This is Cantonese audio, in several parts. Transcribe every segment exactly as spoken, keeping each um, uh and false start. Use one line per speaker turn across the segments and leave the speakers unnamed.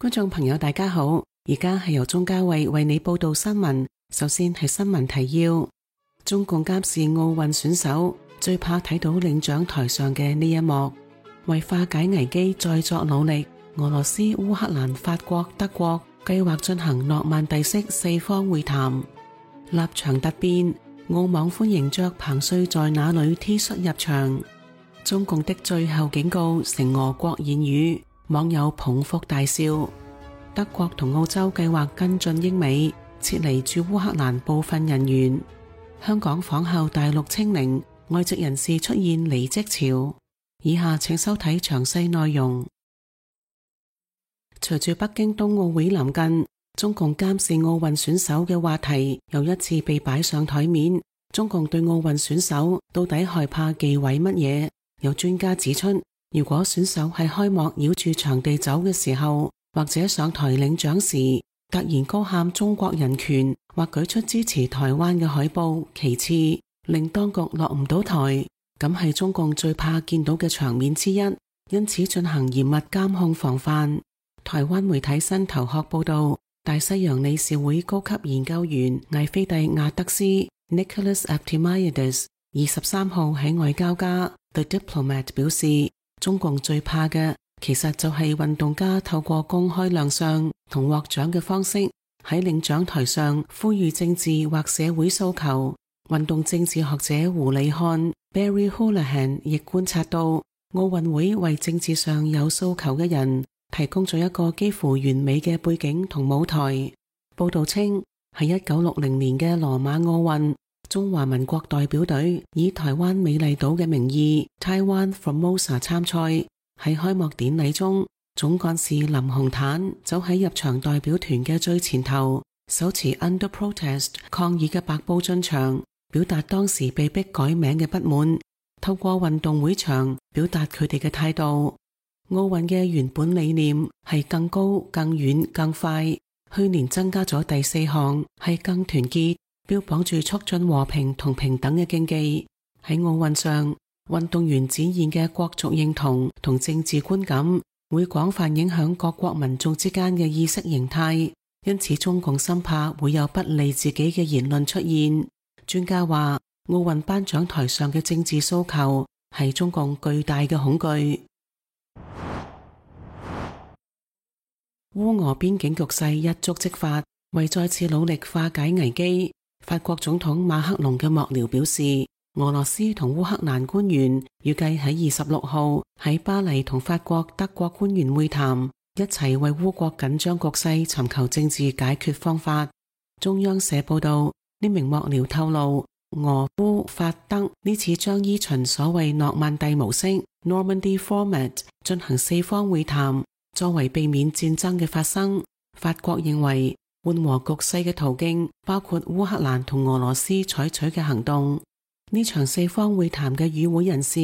觀眾朋友大家好，而家係由鍾嘉慧為你報道新聞。首先係新聞提要：中共監視奧運選手，最怕睇到領獎台上嘅呢一幕。為化解危機再作努力，俄羅斯、烏克蘭、法國、德國計劃進行諾曼第式四方會談。立場突變，澳網歡迎着彭帥在哪裏 T 恤入場。中共的最後警告成俄國言語，網友捧腹大笑。德國同澳洲計劃跟進英美，撤離駐烏克蘭部分人員。香港仿效大陸清零，外籍人士出現離職潮。以下請收睇詳細內容。隨住北京冬奧會臨近，中共監視奧運選手嘅話題又一次被擺上台面。中共對奧運選手到底害怕忌諱乜嘢？有專家指出，如果選手喺開幕繞住場地走嘅時候，或者上台領獎時突然高喊中國人權，或舉出支持台灣嘅海報旗幟，令當局落唔到台，咁係中共最怕見到嘅場面之一，因此進行嚴密監控防範。台灣媒體新頭殼報道，大西洋理事會高級研究員艾菲蒂亞德斯 Nicholas Aptimiadis 二十三號喺外交家 The Diplomat 表示，中共最怕嘅其實就係運動家透過公開亮相同獲獎嘅方式喺領獎台上呼籲政治或社會訴求。運動政治學者胡里漢 Barry Holohan 亦觀察到，奧運會為政治上有訴求嘅人提供咗一個幾乎完美嘅背景同舞台。報道稱，喺一九六零年嘅羅馬奧運，中華民國代表隊以台灣美麗島嘅名義 Taiwan Formosa 參賽。喺開幕典禮中，總幹事林洪坦走喺入場代表團嘅最前頭，手持 Under Protest 抗議嘅白布進場，表達當時被迫改名嘅不滿，透過運動會場表達佢哋嘅態度。奧運嘅原本理念係更高、更遠、更快，去年增加咗第四項，係更團結，標榜住促進和平同平等嘅競技。喺奧運上，運動員展現嘅國族認同同政治觀感會廣泛影響各國民眾之間嘅意識形態，因此中共深怕會有不利自己嘅言論出現。專家話，奧運頒獎台上嘅政治訴求係中共巨大嘅恐懼。烏俄邊境局勢一觸即發，為再次努力化解危機，法國總統馬克龍嘅幕僚表示，俄羅斯同烏克蘭官員預計喺二十六號喺巴黎同法國、德國官員會談，一齊為烏國緊張局勢尋求政治解決方法。中央社報道，呢名幕僚透露，俄烏法德呢次將依循所謂諾曼第模式 Normandy Format 進行四方會談，作為避免戰爭嘅發生。法國認為緩和局勢嘅途徑包括烏克蘭同俄羅斯採取嘅行動。呢場四方會談嘅與會人士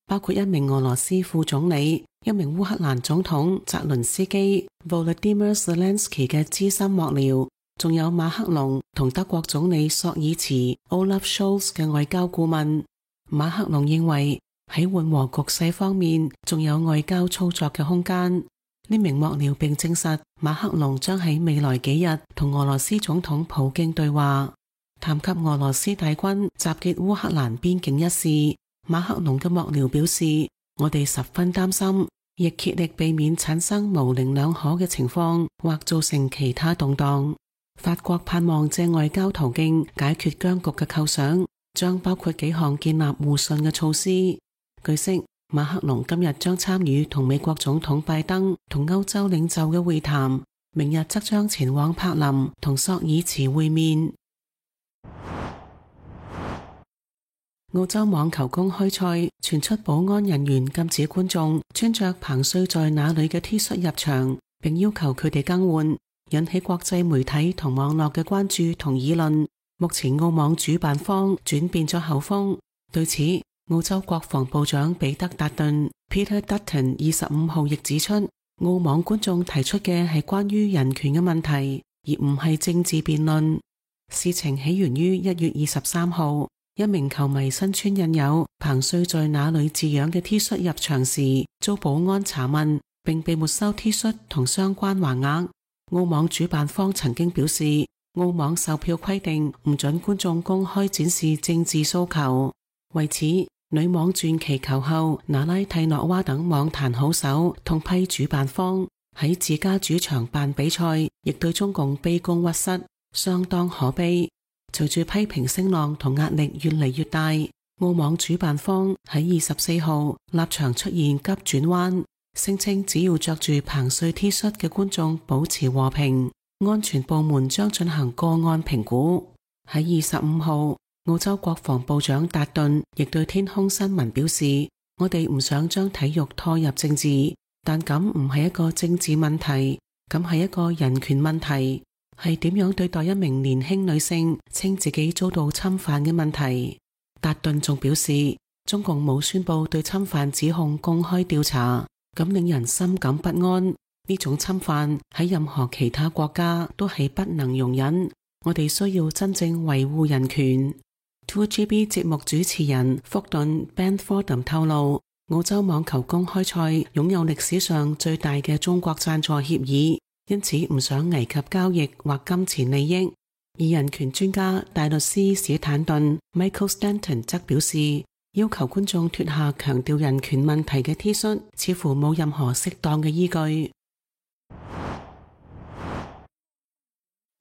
包括一名俄羅斯副總理、一名烏克蘭總統澤倫斯基 Volodymyr Zelensky 嘅資深幕僚，仲有馬克龍同德國總理朔爾茨 Olaf Scholz 嘅外交顧問。馬克龍認為喺緩和局勢方面仲有外交操作嘅空間。呢名幕僚並證實，馬克龍將喺未來幾日同俄羅斯總統普京對話。談及俄羅斯大軍集結烏克蘭邊境一事，馬克龍嘅幕僚表示，我哋十分擔心，亦竭力避免產生模棱兩可嘅情況，或造成其他動盪。法國盼望借外交途徑解決僵局嘅構想，將包括幾項建立互信嘅措施。據悉，馬克龍今日將參與同美國總統拜登同歐洲領袖嘅會談，明日則將前往柏林同朔爾茨會面。澳洲網球公開賽傳出保安人員禁止觀眾穿着彭帥在哪裏嘅 T 恤入場，並要求佢哋更換，引起國際媒體同網絡嘅關注同議論。目前澳網主辦方轉變咗口風，對此澳洲國防部長彼得達頓 Peter Dutton 二十五號亦指出，澳網觀眾提出嘅係關於人權嘅問題，而唔係政治辯論。事情起源於一月二十三號，一名球迷身穿印有彭帥在哪裏字樣嘅 T 恤入場時，遭保安查問，並被沒收 T 恤同相關橫額。澳網主辦方曾經表示，澳網售票規定唔准觀眾公開展示政治訴求。為此，女網傳奇球后娜拉蒂諾娃等網壇好手痛批主辦方喺自家主場辦比賽，亦對中共卑躬屈膝，相當可悲。隨住批評聲浪同壓力越嚟越大，澳網主辦方喺二十四號立場出現急轉彎，聲稱只要着住彭帥 T 恤嘅觀眾保持和平，安全部門將進行個案評估。喺二十五號，澳洲國防部長達頓亦對天空新聞表示，我哋唔想將體育拖入政治，但咁唔係一個政治問題，咁係一個人權問題，係點樣對待一名年輕女性稱自己遭到侵犯嘅問題。達頓仲表示，中共冇宣布對侵犯指控公開調查，咁令人深感不安。呢種侵犯喺任何其他國家都係不能容忍，我哋需要真正維護人權。two G B 節目主持人福頓 Ben Fordham 透露，澳洲網球公開賽擁有歷史上最大嘅中國贊助協議，因此唔想危及交易或金錢利益。而人權專家大律師史坦頓 Michael Stanton 則表示，要求觀眾脫下強調人權問題嘅 T 恤，似乎冇任何適當嘅依據。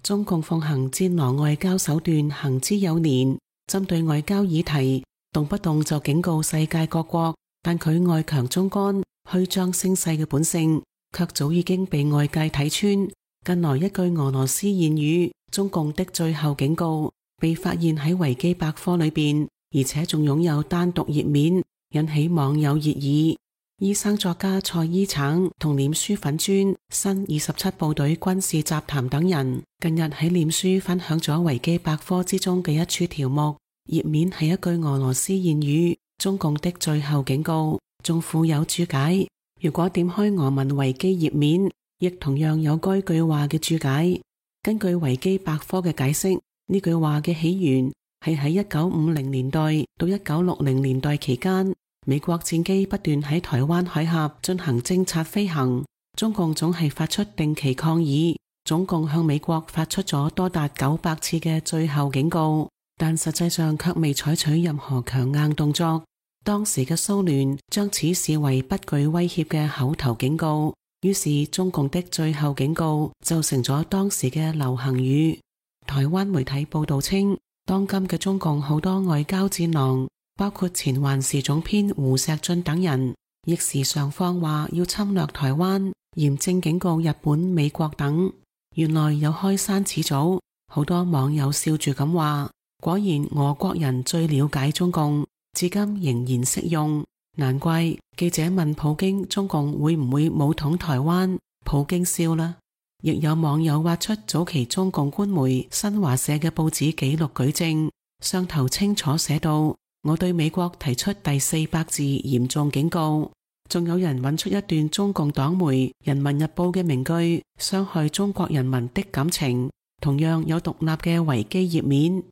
中共奉行戰狼外交手段行之有年，針對外交議題，動不動就警告世界各國，但佢外強中乾、虛張聲勢嘅本性，卻早已經被外界睇穿。近來一句俄羅斯諺語，中共的最後警告，被發現喺維基百科裏邊，而且仲擁有單獨頁面，引起網友熱議。醫生作家蔡依橙同臉書粉專新二十七部隊軍事雜談等人，近日喺臉書分享咗維基百科之中嘅一處條目，頁面係一句俄羅斯諺語，中共的最後警告，仲附有注解。如果點開俄文維基頁面，亦同樣有該句話嘅注解。根據維基百科嘅解釋，呢句話嘅起源係喺一九五零年代到一九六零年代期間，美國戰機不斷喺台灣海峽進行偵察飛行，中共總係發出定期抗議，總共向美國發出咗多達九百次嘅最後警告，但實際上卻未採取任何強硬動作。當時嘅蘇聯將此視為不具威脅嘅口頭警告，於是中共的最後警告就成咗當時嘅流行語。台灣媒體報道稱，當今嘅中共好多外交戰狼，包括前環時總編胡錫進等人，亦時常放話要侵略台灣，嚴正警告日本、美國等。原來有開山始祖，好多網友笑住咁話，果然俄國人最了解中共，至今仍然適用。難怪記者問普京中共會唔會武統台灣，普京笑啦。亦有網友挖出早期中共官媒新華社嘅報紙記錄舉證，上頭清楚寫到，我對美國提出第四百字嚴重警告。仲有人揾出一段中共黨媒人民日報嘅名句，傷害中國人民的感情，同樣有獨立嘅維基頁面。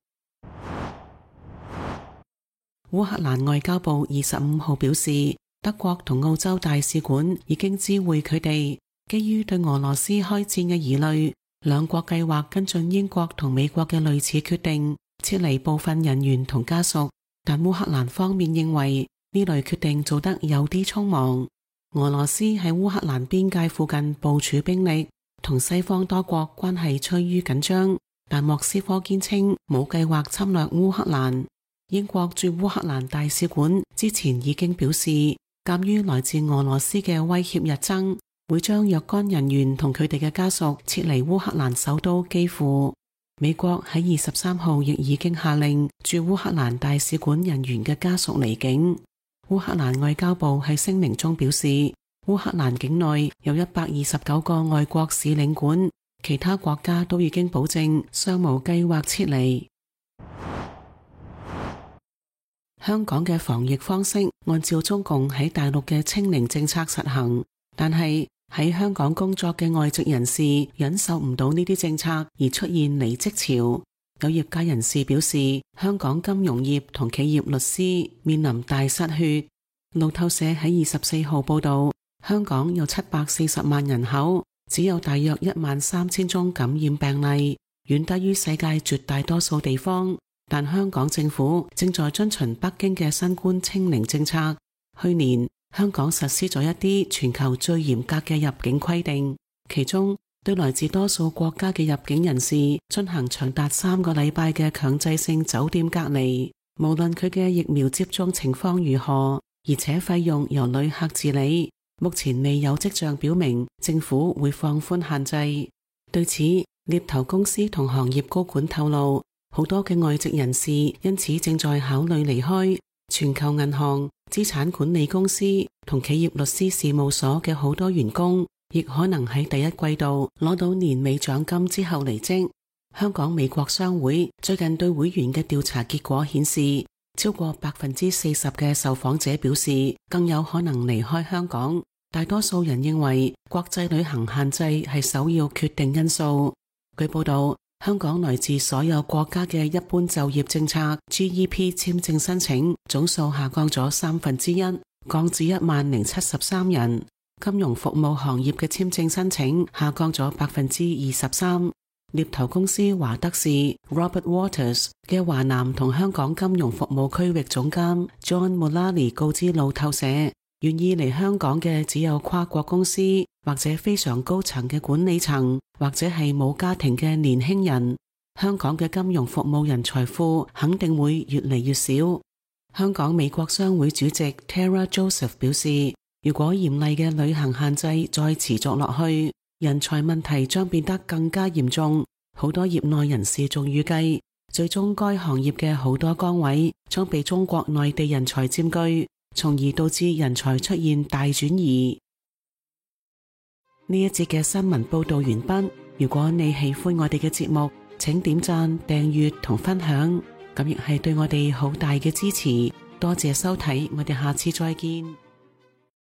烏克蘭外交部二十五號表示，德國同澳洲大使館已經知會佢哋，基於對俄羅斯開戰嘅疑慮，兩國計劃跟進英國同美國嘅類似決定，撤離部分人員同家屬。但烏克蘭方面認為呢類決定做得有啲匆忙。俄羅斯喺烏克蘭邊界附近部署兵力，同西方多國關係趨於緊張，但莫斯科堅稱冇計劃侵略烏克蘭。英國駐烏克蘭大使館之前已經表示，鑒於來自俄羅斯嘅威脅日增，會將若干人員同佢哋嘅家屬撤離烏克蘭首都基輔。美國喺二十三號亦已經下令駐烏克蘭大使館人員嘅家屬離境。烏克蘭外交部喺聲明中表示，烏克蘭境內有一百二十九個外國使領館，其他國家都已經保證尚無計劃撤離。香港嘅防疫方式按照中共喺大陸嘅清零政策實行，但係喺香港工作嘅外籍人士忍受唔到呢啲政策而出現離職潮。有業界人士表示，香港金融業同企業律師面臨大失血。路透社喺二十四號報道，香港有七百四十萬人口，只有大約一萬三千宗感染病例，遠低於世界絕大多數地方。但香港政府正在遵循北京嘅新冠清零政策。去年，香港實施咗一啲全球最嚴格嘅入境規定，其中對來自多數國家嘅入境人士進行長達三個禮拜嘅強制性酒店隔離，無論佢嘅疫苗接種情況如何，而且費用由旅客自理。目前未有跡象表明政府會放寬限制。對此，獵頭公司同行業高管透露，好多嘅外籍人士因此正在考慮離開。全球銀行、資產管理公司同企業律師事務所嘅好多員工，亦可能喺第一季度攞到年尾獎金之後離職。香港美國商會最近對會員嘅調查結果顯示，超過百分之四十嘅受訪者表示更有可能離開香港。大多數人認為國際旅行限制係首要決定因素。據報道，香港來自所有國家嘅一般就業政策 G E P 簽證申請總數下降咗三分之一，降至一萬零七十三人。金融服務行業嘅簽證申請下降咗百分之二十三。獵頭公司華德士 Robert Waters 嘅華南同香港金融服務區域總監 John Mullally 告知路透社，願意嚟香港嘅只有跨國公司，或者非常高層嘅管理層，或者係冇家庭嘅年輕人。香港嘅金融服務人才庫肯定會越嚟越少。香港美國商會主席 Tara Joseph 表示，如果嚴厲嘅旅行限制再持續落去，人才問題將變得更加嚴重。好多業內人士仲預計，最終該行業嘅好多崗位將被中國內地人才佔據，從而導致人才出現大轉移。呢一節嘅新聞報道完畢。如果你喜歡我哋嘅節目，請點讚、訂閱同分享，咁亦係對我哋好大嘅支持。多謝收睇，我哋下次再見。